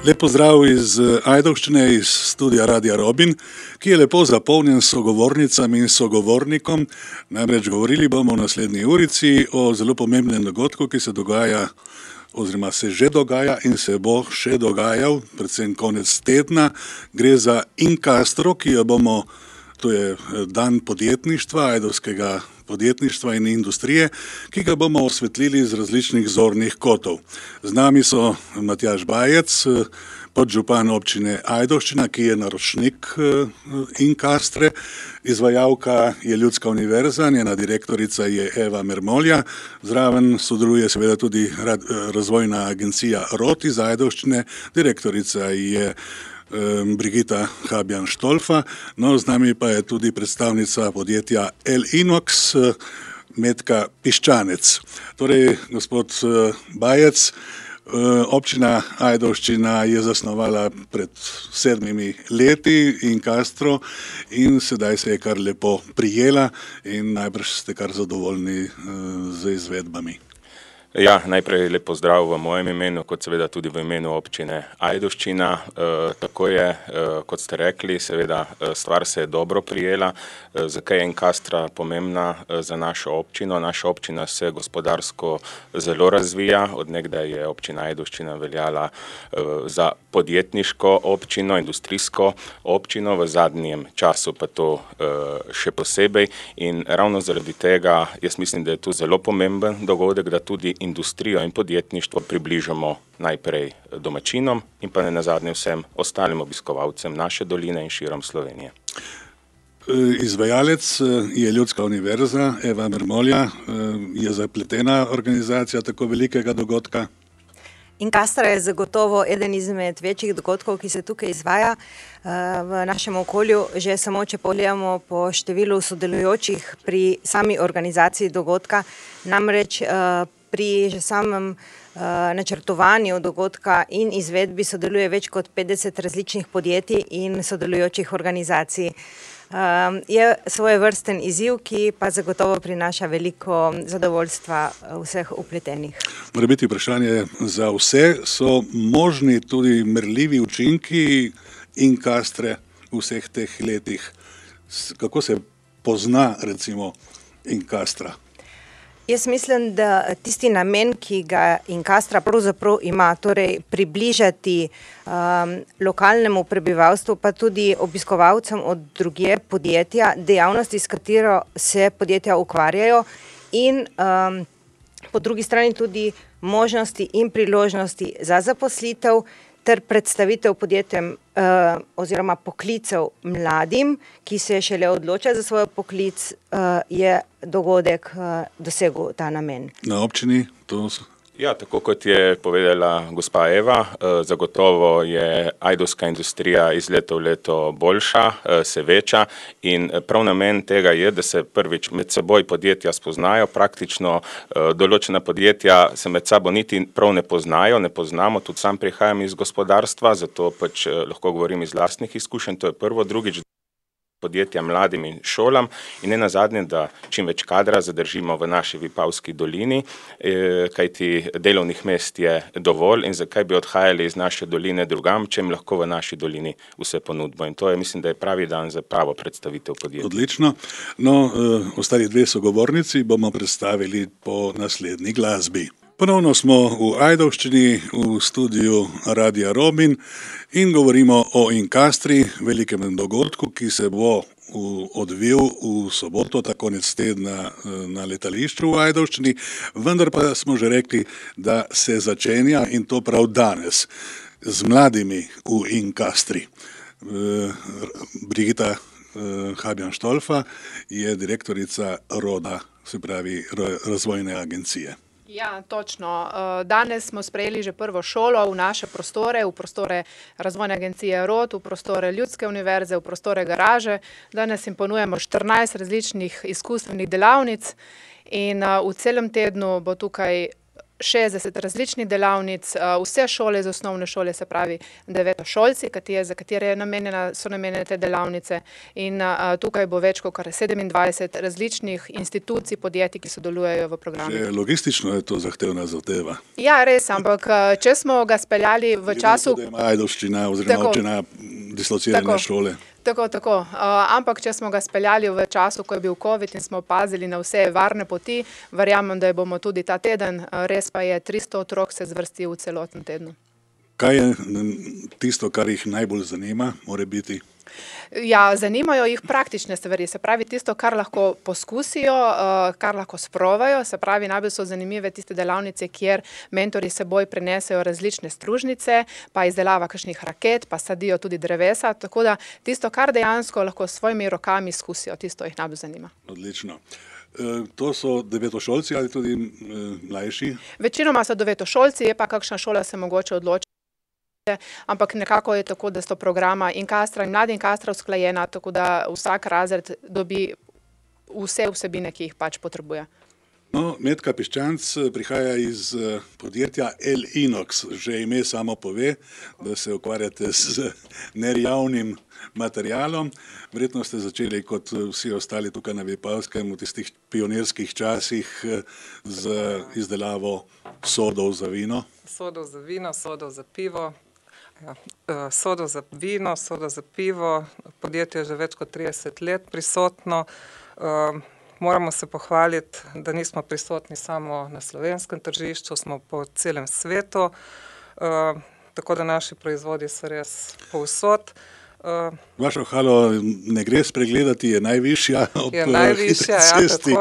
Lep pozdrav iz Ajdovščine, iz studia Radia Robin, ki je lepo zapolnjen s sogovornicami in sogovornikom. Namreč govorili bomo v naslednji urici o zelo pomembnem dogodku, ki se dogaja oziroma se že dogaja in se bo še dogajal, predvsem konec tedna. Gre za Incastro, to je dan podjetništva, ajdovskega podjetništva in industrije, ki ga bomo osvetlili z različnih zornih kotov. Z nami so Matjaž Bajec, podžupan občine Ajdovščina, ki je naročnik Incastre, izvajalka je Ljudska univerza, njena direktorica je Eva Mermolja, zraven sodeluje seveda tudi razvojna agencija ROT iz Ajdovščine, direktorica je Brigita Habjan-Štolfa, no z nami pa je tudi predstavnica podjetja L-Inox, Metka Piščanec. Torej, gospod Bajec, občina Ajdovščina je zasnovala pred 7 leti Incastro in sedaj se je kar lepo prijela in najbrž ste kar zadovoljni z izvedbami. Ja, najprej lep pozdrav v mojem imenu, kot seveda tudi v imenu občine Ajdovščina. Tako je, kot ste rekli, seveda stvar se je dobro prijela. Zakaj je Incastra pomembna za našo občino? Naša občina se gospodarsko zelo razvija. Od nekdaj je občina Ajdovščina veljala za podjetniško občino, industrijsko občino, v zadnjem času pa to še posebej. In ravno zaradi tega jaz mislim, da je to zelo pomemben dogodek, da tudi industrijo in podjetništvo približamo najprej domačinom in pa ne nazadnje vsem ostalim obiskovalcem naše doline in širom Slovenije. Izvajalec je Ljudska univerza, Eva Mermolja, je zapletena organizacija tako velikega dogodka. Incastra je zagotovo eden izmed večjih dogodkov, ki se tukaj izvaja v našem okolju. Že samo, če pogledamo po številu sodelujočih pri sami organizaciji dogodka, namreč pri že samem načrtovanju dogodka in izvedbi sodeluje več kot 50 različnih podjetij in sodelujočih organizacij. Je svojevrsten izziv, ki pa zagotovo prinaša veliko zadovoljstva vseh vpletenih. Mora biti vprašanje za vse, so možni tudi merljivi učinki Incastre v vseh teh letih? Kako se pozna recimo Incastra? Jaz mislim, da tisti namen, ki ga Incastra pravzaprav ima, torej približati lokalnemu prebivalstvu, pa tudi obiskovalcem od drugje podjetja, dejavnosti, s katero se podjetja ukvarjajo in po drugi strani tudi možnosti in priložnosti za zaposlitev ter predstavitev podjetjem oziroma poklicev mladim, ki se šele odločajo za svoj poklic, je dogodek dosegel ta namen. Na občini to so? Ja, tako kot je povedala gospa Eva, zagotovo je ajdovska industrija iz leta v leto boljša, se veča in prav namen tega je, da se prvič med seboj podjetja spoznajo. Praktično določena podjetja se med sabo niti prav ne poznamo, tudi sam prihajam iz gospodarstva, zato pač lahko govorim iz lastnih izkušenj, to je prvo. Drugič, podjetja mladim in šolam in ne nazadnje, da čim več kadra zadržimo v naši Vipavski dolini, kajti delovnih mest je dovolj in zakaj bi odhajali iz naše doline drugam, če jim lahko v naši dolini vse ponudbo. In to je, mislim, da je pravi dan za pravo predstavitev podjetja. Odlično. No, ostali dve sogovornici bomo predstavili po naslednji glasbi. Ponovno smo v Ajdovščini, v studiu Radia Robin in govorimo o Incastri, velikem dogodku, ki se bo odvil v soboto, ta konec tedna na letališču v Ajdovščini, vendar pa smo že rekli, da se začenja in to prav danes z mladimi v Incastri. Brigita Habjan-Štolfa je direktorica ROD-a, se pravi razvojne agencije. Ja, točno. Danes smo sprejeli že prvo šolo v naše prostore, v prostore razvojne agencije ROD, v prostore Ljudske univerze, v prostore garaže. Danes jim ponujemo 14 različnih izkustvenih delavnic in v celem tednu bo tukaj 60 različnih delavnic, vse šole iz osnovne šole, se pravi devetošolci, za katere so namenjene te delavnice, in tukaj bo več kot 27 različnih institucij, podjetij, ki sodelujejo v programu. Že logistično je to zahtevna zadeva. Ja, res, ampak če smo ga speljali v času... Da ima Ajdovščina oziroma občina dislocirane šole. Tako. Ampak če smo ga speljali v času, ko je bil COVID in smo opazili na vse varne poti, verjamem, da bomo tudi ta teden, res pa je 300 otrok se zvrsti v celotnem tednu. Kaj je tisto, kar jih najbolj zanima, more biti? Ja, zanimajo jih praktične stvari, se pravi tisto, kar lahko poskusijo, kar lahko sprovajo, se pravi najbolj so zanimive tiste delavnice, kjer mentori seboj prinesejo različne stružnice, pa izdelava kakšnih raket, pa sadijo tudi drevesa, tako da tisto, kar dejansko lahko s svojimi rokami izkusijo, tisto jih najbolj zanima. Odlično. To so devetošolci ali tudi mlajši? Večinoma so devetošolci, je pa kakšna šola se mogoče odloči, ampak nekako je tako, da sto programa Inkastra in Mladi Inkastra usklajena, tako da vsak razred dobi vse vsebine, ki jih pač potrebuje. No, Metka Piščanc prihaja iz podjetja L-Inox. Že ime samo pove, da se ukvarjate z nerjavnim materialom. Verjetno ste začeli kot vsi ostali tukaj na Vipavskem v tistih pionirskih časih z izdelavo sodov za vino. Sodov za vino, sodov za pivo. Sodov za vino, sodov za pivo. Podjetje je že več kot 30 let prisotno. Moramo se pohvaliti, da nismo prisotni samo na slovenskem tržišču, smo po celem svetu, tako da naši proizvodi so res povsod. Vašo halo ne gre spregledati, je najvišja ob hitri cesti.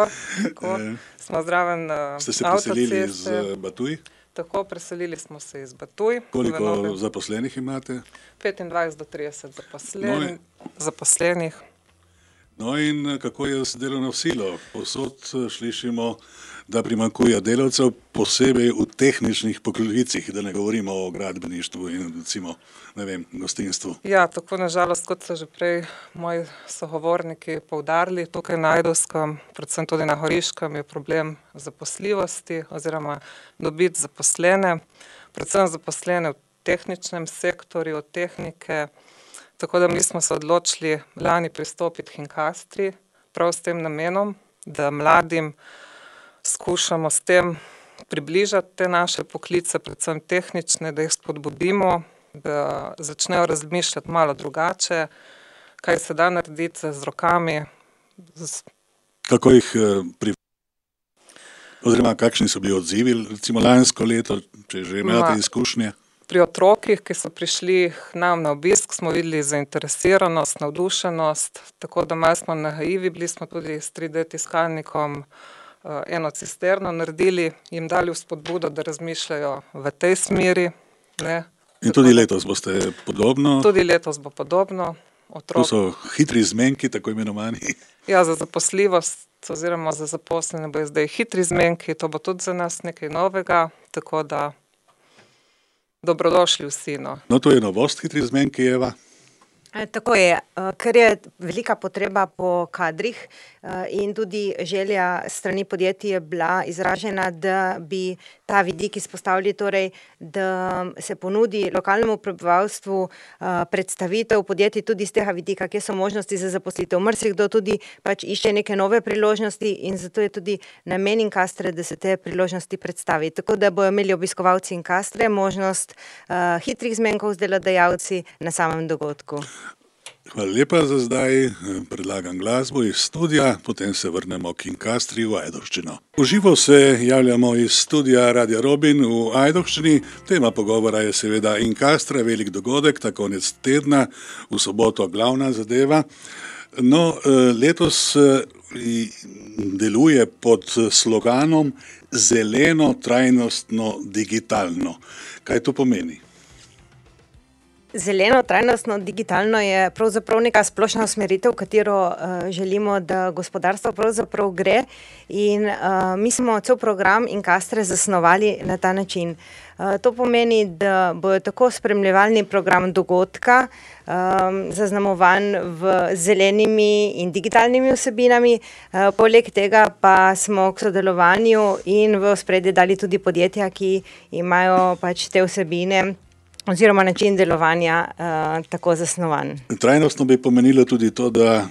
Tako. Smo zraven avtoceste. Ste se preselili iz Batuj? Tako, preselili smo se iz Batuj. Koliko zaposlenih imate? 25 do 30 zaposlenih. No in kako je z delovno silo? Povsod slišimo, da primanjkuje delavcev, posebej v tehničnih poklicih, da ne govorimo o gradbeništvu in recimo, ne vem, gostinstvu. Ja, tako nažalost, kot so že prej moji sogovorniki poudarili, tukaj na Ajdovskem, predvsem tudi na Goriškem, je problem zaposljivosti oziroma dobiti zaposlene, predvsem zaposlene v tehničnem sektorju, tehnike. Tako da mi smo se odločili lani pristopiti k Inkastri, prav s tem namenom, da mladim skušamo s tem približati te naše poklice, predvsem tehnične, da jih spodbudimo, da začnejo razmišljati malo drugače, kaj se da narediti z rokami. Kako jih oziroma kakšni so bili odzivi, recimo lansko leto, če že imate izkušnje? Pri otrokih, ki so prišli nam na obisk, smo videli zainteresiranost, navdušenost, tako da malo smo naivi, bili smo tudi s 3D tiskalnikom eno cisterno naredili, jim dali vzpodbudo, da razmišljajo v tej smeri. Ne. In tudi letos boste podobno? Tudi letos bo podobno. To so hitri zmenki, tako imenovani? Ja, za zaposljivost oziroma za zaposlene bo zdaj hitri zmenki, to bo tudi za nas nekaj novega, tako da dobrodošli vsi. No, to je novost, hitri zmenki, Eva. Tako je, ker je velika potreba po kadrih in tudi želja strani podjetij je bila izražena, da bi ta vidik izpostavili, torej, da se ponudi lokalnemu prebivalstvu predstavitev podjetij tudi z tega vidika, kje so možnosti za zaposlitev. Marsikdo tudi pač išče neke nove priložnosti in zato je tudi namen Inkastre, da se te priložnosti predstavi. Tako da bojo imeli obiskovalci Inkastre možnost hitrih zmenkov z delodajalci na samem dogodku. Hvala lepa za zdaj. Predlagam glasbo iz studia, potem se vrnemo k Inkastri v Ajdovščino. V živo se javljamo iz studia Radia Robin v Ajdovščini. Tema pogovora je seveda Inkastra, velik dogodek, ta konec tedna, v soboto glavna zadeva. No, letos deluje pod sloganom zeleno, trajnostno, digitalno. Kaj to pomeni? Zeleno, trajnostno, digitalno je pravzaprav neka splošna usmeritev, v katero želimo, da gospodarstvo pravzaprav gre, in mi smo cel program Incastre zasnovali na ta način. To pomeni, da bojo tako spremljevalni program dogodka zaznamovan v zelenimi in digitalnimi vsebinami, poleg tega pa smo k sodelovanju in v ospredje dali tudi podjetja, ki imajo pač te vsebine oziroma način delovanja tako zasnovan. Trajnostno bi pomenilo tudi to, da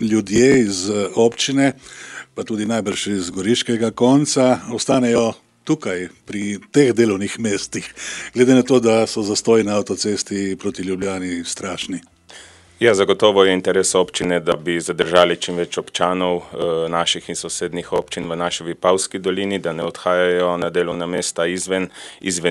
ljudje iz občine, pa tudi najbrž iz goriškega konca, ostanejo tukaj, pri teh delovnih mestih, glede na to, da so zastoji na avtocesti proti Ljubljani strašni. Ja, zagotovo je interes občine, da bi zadržali čim več občanov naših in sosednjih občin v naši Vipavski dolini, da ne odhajajo na delovna mesta izven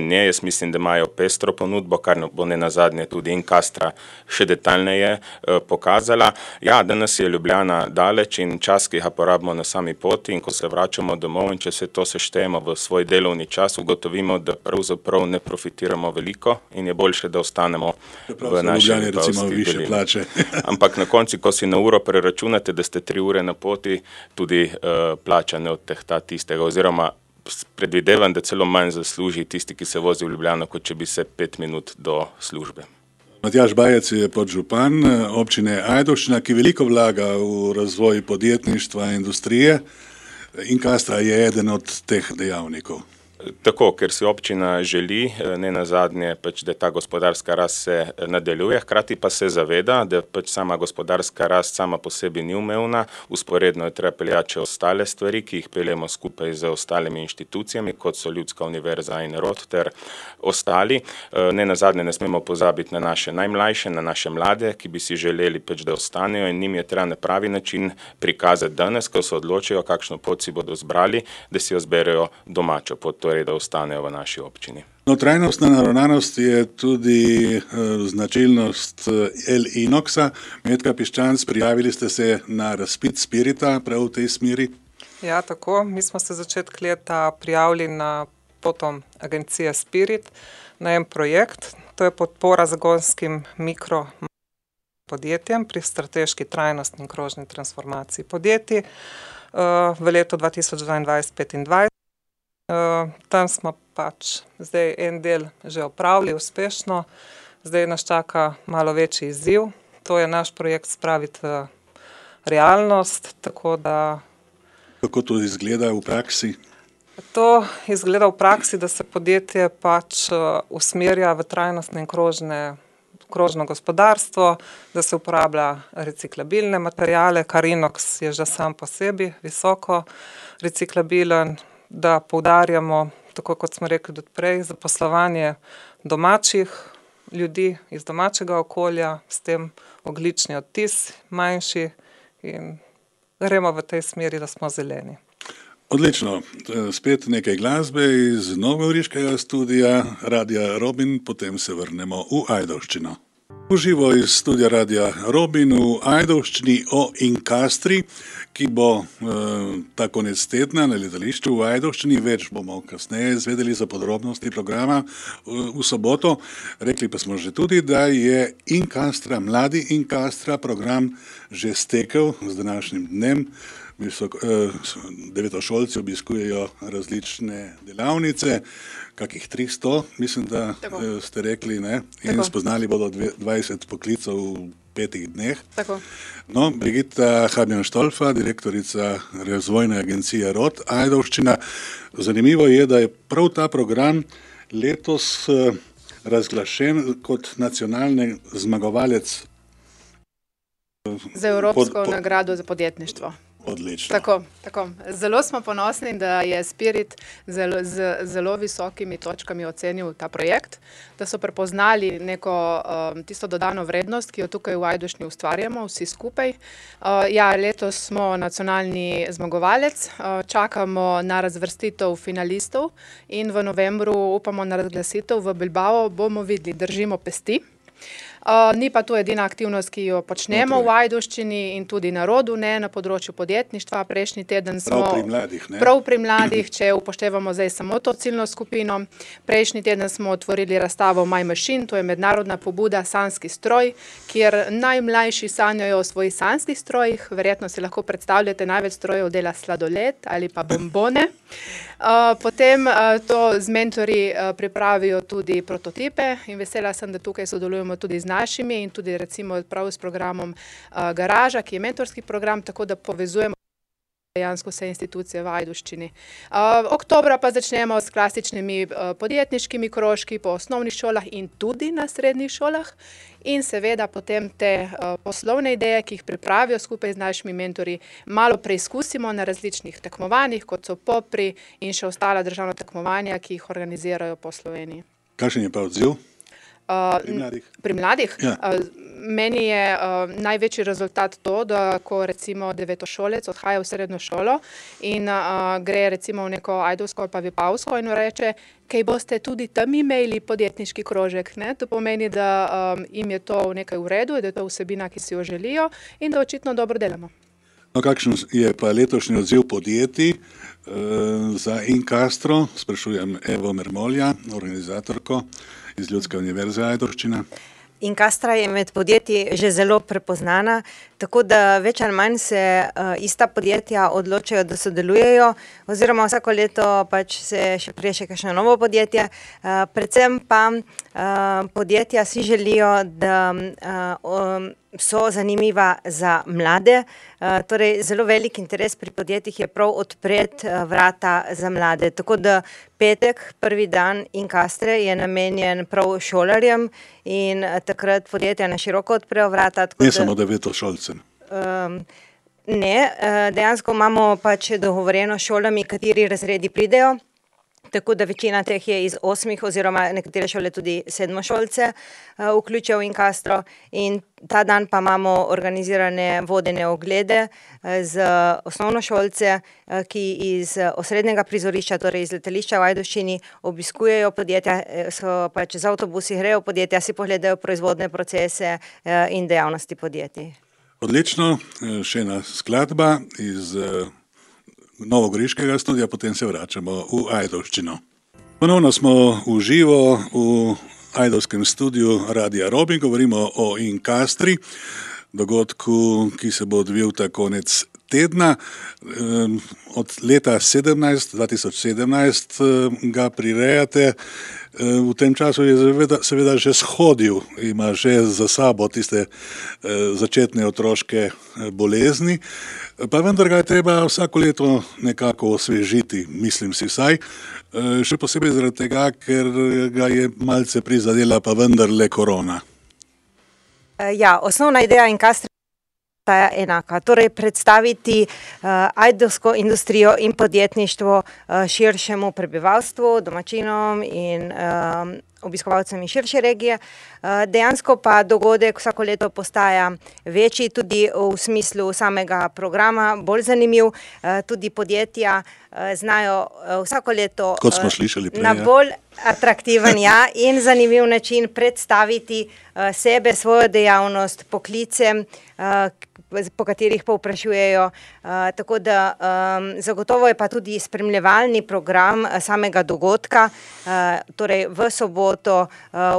nje. Jaz mislim, da imajo pestro ponudbo, kar bo nenazadnje tudi Incastra še detaljneje pokazala. Ja, danes je Ljubljana daleč in čas, ki ga porabimo na sami poti, in ko se vračamo domov in če se to seštejemo v svoj delovni čas, ugotovimo, da pravzaprav ne profitiramo veliko in je boljše, da ostanemo v naši Vipavski dolini. Ampak na konci, ko si na uro preračunate, da ste 3 ure na poti, tudi plača ne odtehta tistega, oziroma predvidevam, da celo manj zasluži tisti, ki se vozi v Ljubljano, kot če bi se 5 minut do službe. Matjaž Bajec je podžupan občine Ajdovščina, ki veliko vlaga v razvoj podjetništva in industrije. Incastra je eden od teh dejavnikov. Tako, ker si občina želi, nenazadnje, da ta gospodarska rast se nadaljuje, hkrati pa se zaveda, da sama gospodarska rast sama po sebi ni umevna, vzporedno je treba peljati še ostale stvari, ki jih peljemo skupaj z ostalimi inštitucijami, kot so Ljudska univerza in ROT ter ostali. Nenazadnje ne smemo pozabiti na naše najmlajše, na naše mlade, ki bi si želeli, da ostanejo, in njim je treba na pravi način prikazati danes, ko se odločijo, kakšno pot si bodo zbrali, da si jo zberejo domačo pot, torej da ostanejo v naši občini. No, trajnostna naravnanost je tudi značilnost El Inoxa. Metka Piščanc, prijavili ste se na razpit Spirita prav v tej smeri? Ja, tako. Mi smo se začetek leta prijavili na potom agencije Spirit na en projekt. To je podpora zagonskim mikro podjetjem pri strateški trajnostni in krožni transformaciji podjetij v letu 2022-2025. Tam smo pač zdaj en del že opravili uspešno, zdaj nas čaka malo večji izziv. To je naš projekt spraviti v realnost, tako da... Kako to izgleda v praksi? To izgleda v praksi, da se podjetje pač usmerja v trajnostne in krožno gospodarstvo, da se uporablja reciklabilne materiale, kar Inox je že sam po sebi visoko reciklabilen, da poudarjamo, tako kot smo rekli tudi prej, zaposlovanje domačih ljudi iz domačega okolja, s tem ogljični odtis manjši, in gremo v tej smeri, da smo zeleni. Odlično. Spet nekaj glasbe iz novogoriškega studia Radia Robin, potem se vrnemo v Ajdovščino. Uživo iz studia Radia Robin v Ajdovščini o Incastri, ki bo ta konec tedna na letališču v Ajdovščini. Več bomo kasneje izvedeli za podrobnosti programa v soboto. Rekli pa smo že tudi, da je Incastra, mladi Incastra program že stekel z današnjim dnem. Devetošolci obiskujejo različne delavnice, kakih 300, mislim, da ste rekli, ne? In spoznali bodo 20 poklicov v 5 dneh. Tako. No, Brigitta Habjan-Štolfa, direktorica razvojne agencije ROT Ajdovščina. Zanimivo je, da je prav ta program letos razglašen kot nacionalni zmagovalec za Evropsko nagrado za podjetništvo. Odlično. Tako. Zelo smo ponosni, da je Spirit z zelo visokimi točkami ocenil ta projekt, da so prepoznali neko tisto dodano vrednost, ki jo tukaj v Ajdovščini ustvarjamo vsi skupaj. Letos smo nacionalni zmagovalec, čakamo na razvrstitev finalistov in v novembru upamo na razglasitev v Bilbao. Bomo videli, držimo pesti. Ni pa to edina aktivnost, ki jo počnemo v Ajdovščini in tudi na rodu, ne, na področju podjetništva. Prejšnji teden smo... Prav pri mladih, ne? Prav pri mladih, če upoštevamo zdaj samo to ciljno skupino. Prejšnji teden smo otvorili razstavo My Machine, to je mednarodna pobuda Sanjski stroj, kjer najmlajši sanjajo o svojih sanjskih strojih. Verjetno si lahko predstavljate, največ strojev dela sladoled ali pa bombone. Potem to z mentorji pripravijo tudi prototipe in vesela sem, da tukaj sodelujemo tudi z našimi in tudi recimo prav s programom Garaža, ki je mentorski program, tako da povezujemo dejansko vse institucije v Ajdovščini. Oktobra pa začnemo s klasičnimi podjetniškimi krožki po osnovnih šolah in tudi na srednjih šolah in seveda potem te poslovne ideje, ki jih pripravijo skupaj z našimi mentorji, malo preizkusimo na različnih tekmovanjih, kot so Popri in še ostala državna tekmovanja, ki jih organizirajo po Sloveniji. Kakšen je pa odziv? Pri mladih? Ja. Meni je največji rezultat to, da ko recimo devetošolec odhaja v srednjo šolo in gre recimo v neko ajdovsko ali pa vipavsko in reče, kaj boste tudi tam imeli podjetniški krožek. Ne? To pomeni, da jim je to nekaj v redu, da je to vsebina, ki si jo želijo in da očitno dobro delamo. No, kakšen je pa letošnji odziv podjetij za Incastro? Sprašujem Evo Mermolja, organizatorko iz Ljudske univerze Ajdovščina. Incastra je med podjetji že zelo prepoznana, tako da več ali manj se ista podjetja odločajo, da sodelujejo, oziroma vsako leto pač se še prije še kakšno novo podjetje. Predvsem pa podjetja si želijo, da so zanimiva za mlade. Torej, zelo velik interes pri podjetjih je prav odpreti vrata za mlade. Tako da petek, prvi dan Incastre je namenjen prav šolarjem in takrat podjetja na široko odprejo vrata. Ne samo devetošolcem. Ne, dejansko imamo pač dogovorjeno s šolami, kateri razredi pridejo. Tako da večina teh je iz 8 oziroma nekatere šole tudi 7-šolce vključijo v Incastro in ta dan pa imamo organizirane vodene oglede z osnovnošolce, ki iz osrednjega prizorišča, torej iz letališča v Ajdovščini, obiskujejo podjetja, so pač z avtobusi grejo v podjetja, si pogledajo proizvodne procese in dejavnosti podjetij. Odlično, še ena skladba iz novogoriškega studia, potem se vračamo v Ajdovščino. Ponovno smo v živo v ajdovskem studiu Radia Robin, govorimo o Incastri, dogodku, ki se bo odvil ta konec tedna. Od leta 2017 ga prirejate. V tem času je seveda že shodil, ima že za sabo tiste začetne otroške bolezni, pa vendar ga je treba vsako leto nekako osvežiti, mislim si vsaj, še posebej zaradi tega, ker ga je malce prizadela pa vendarle korona. Ja, osnovna ideja Incastre je enaka, torej predstaviti ajdovsko industrijo in podjetništvo širšemu prebivalstvu, domačinom in obiskovalcem iz širše regije. Dejansko pa dogodek vsako leto postaja večji, tudi v smislu samega programa, bolj zanimiv. Tudi podjetja znajo vsako leto kot smo slišali prej, na bolj atraktiven in zanimiv način predstaviti sebe, svojo dejavnost, poklice, po katerih povprašujejo. Tako da zagotovo je pa tudi spremljevalni program samega dogodka, torej v soboto,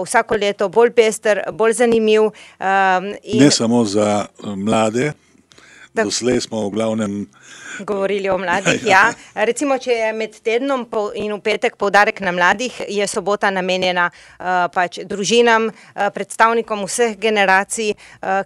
vsako leto bolj pester, bolj zanimiv. Ne samo za mlade, doslej smo v glavnem govorili o mladih, ja. Recimo, če je med tednom in v petek poudarek na mladih, je sobota namenjena pač družinam, predstavnikom vseh generacij,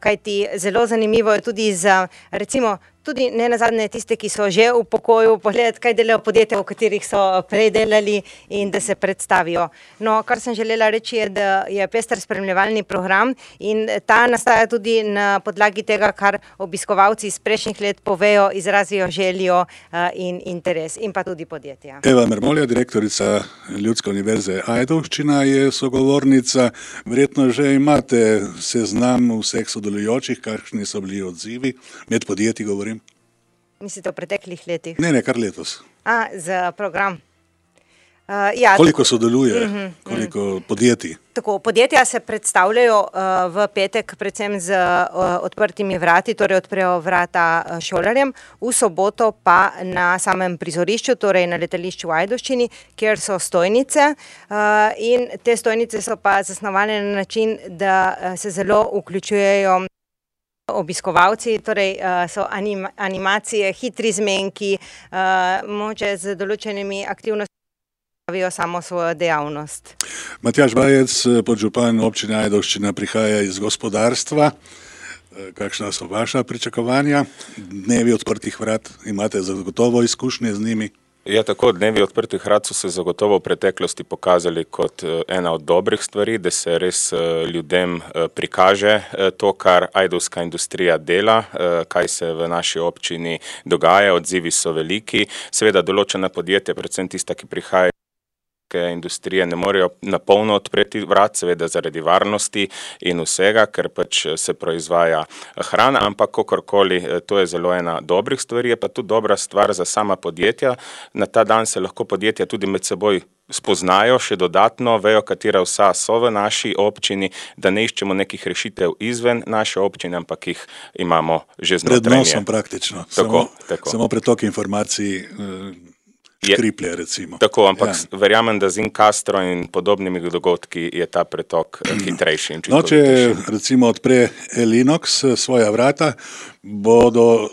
kajti zelo zanimivo je tudi za, recimo, tudi ne nazadnje tiste, ki so že v pokoju, pogledati, kaj delajo podjetja, v katerih so prej delali in da se predstavijo. No, kar sem želela reči je, da je pester spremljevalni program in ta nastaja tudi na podlagi tega, kar obiskovalci iz prejšnjih let povejo, izrazijo željo in interes in pa tudi podjetja. Eva Mermolja, direktorica Ljudske univerze Ajdovščina, je sogovornica. Verjetno že imate seznam vseh sodelujočih, kakšni so bili odzivi, med podjetji govorim. Mislite v preteklih letih? Ne, kar letos. Za program. Ja, koliko sodeluje, koliko podjetij? Tako, podjetja se predstavljajo v petek predvsem z odprtimi vrati, torej odprejo vrata šolarjem, v soboto pa na samem prizorišču, torej na letališču v Ajdovščini, kjer so stojnice, in te stojnice so pa zasnovane na način, da se zelo vključujejo obiskovalci, torej so animacije, hitri zmenki, mogoče z določenimi aktivnostmi samo svojo dejavnost. Matjaž Bajec, podžupan občine Ajdovščina, prihaja iz gospodarstva. Kakšna so vaša pričakovanja? Dnevi odprtih vrat, imate zagotovo izkušnje z njimi? Ja, tako, dnevi odprtih vrat so se zagotovo v preteklosti pokazali kot ena od dobrih stvari, da se res ljudem prikaže to, kar ajdovska industrija dela, kaj se v naši občini dogaja, odzivi so veliki. Seveda določena podjetja, predvsem tista, ki prihajajo industrije, ne morejo napolno odpreti vrat, seveda zaradi varnosti in vsega, ker pač se proizvaja hrana, ampak kakorkoli, to je zelo ena dobrih stvari, je pa tudi dobra stvar za sama podjetja. Na ta dan se lahko podjetja tudi med seboj spoznajo še dodatno, vejo, katera vsa so v naši občini, da ne iščemo nekih rešitev izven naše občine, ampak jih imamo že znotraj. Pred nosom praktično. Tako. Samo pretok informacij škriplje, recimo. Tako, ampak verjamem, da z Incastro in podobnimi dogodki je ta pretok hitrejši in če recimo odpre Elinox svoja vrata, bodo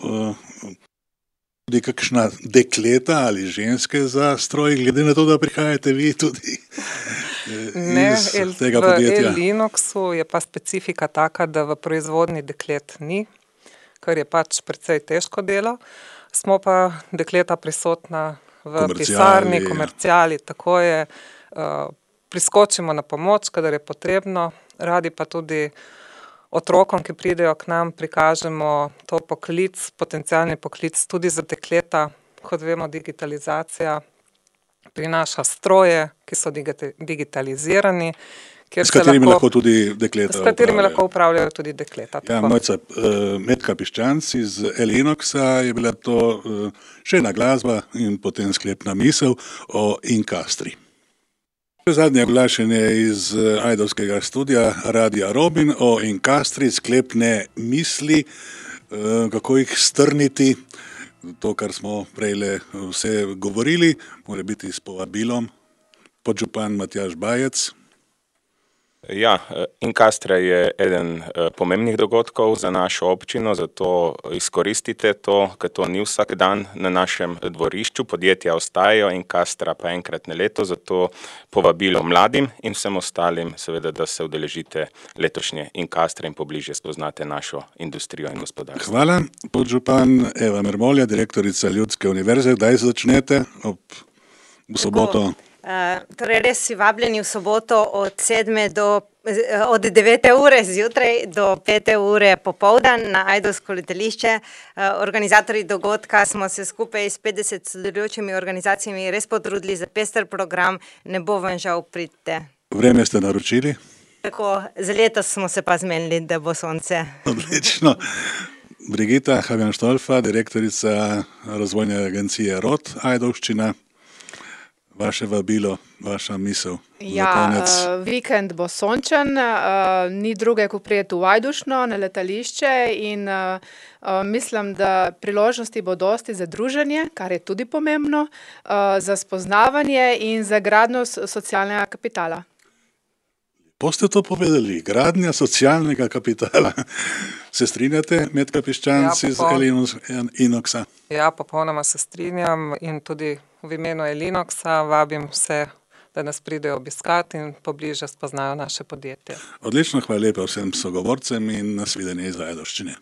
tudi kakšna dekleta ali ženske za stroj, glede na to, da prihajate vi tudi iz tega podjetja? V Elinoxu je pa specifika taka, da v proizvodni deklet ni, kar je pač precej težko delo. Smo pa dekleta prisotna v pisarni, komerciali, tako je, priskočimo na pomoč, kadar je potrebno, radi pa tudi otrokom, ki pridejo k nam, prikažemo to poklic, potencialni poklic tudi za dekleta. Kot vemo, digitalizacija prinaša stroje, ki so digitalizirani, s katerimi lahko tudi dekleta s katerimi lahko upravljajo tudi dekleta. Ja, Mojca, Metka Piščanc iz Elinoxa, je bila to še ena glasba in potem sklepna misel o Incastri. Zadnje oglašanje iz ajdovskega studia Radia Robin o Incastri, sklepne misli, kako jih strniti, to, kar smo prejle vse govorili, mora biti s povabilom. Podžupan Matjaž Bajec. Ja, Incastra je eden pomembnih dogodkov za našo občino, zato izkoristite to, ker to ni vsak dan na našem dvorišču. Podjetja ostajajo, Incastra pa enkrat na leto, zato povabilo mladim in vsem ostalim, seveda, da se udeležite letošnje Incastre in pobližje spoznate našo industrijo in gospodarstvo. Hvala. Podžupan Eva Mermolja, direktorica Ljudske univerze, kdaj začnete? V soboto? Torej res si vabljeni v soboto od 9. ure zjutraj do 5. ure popoldan na ajdovsko letališče. Organizatorji dogodka smo se skupaj s 50 sodelujočimi organizacijami res potrudili za pester program, ne bo vam žal, pridite. Vreme ste naročili? Tako, za letos smo se pa zmenili, da bo sonce. Odlično. Brigita Habjan-Štolfa, direktorica razvojne agencije ROT Ajdovščina. Vaše vabilo, vaša misel za konec. Vikend bo sončen, ni druge, ko prijeti v Ajdovščino na letališče in mislim, da priložnosti bo dosti za druženje, kar je tudi pomembno, za spoznavanje in za gradnjo socialnega kapitala. Po ste to povedali, gradnja socialnega kapitala. Se strinjate, Metka Piščanc iz Elinoxa? Ja, popolnoma se strinjam in tudi v imenu Elinoxa vabim vse, da nas pridejo obiskati in pobliže spoznajo naše podjetje. Odlično, hvala lepa vsem sogovorcem in nasvidenje iz Ajdovščine.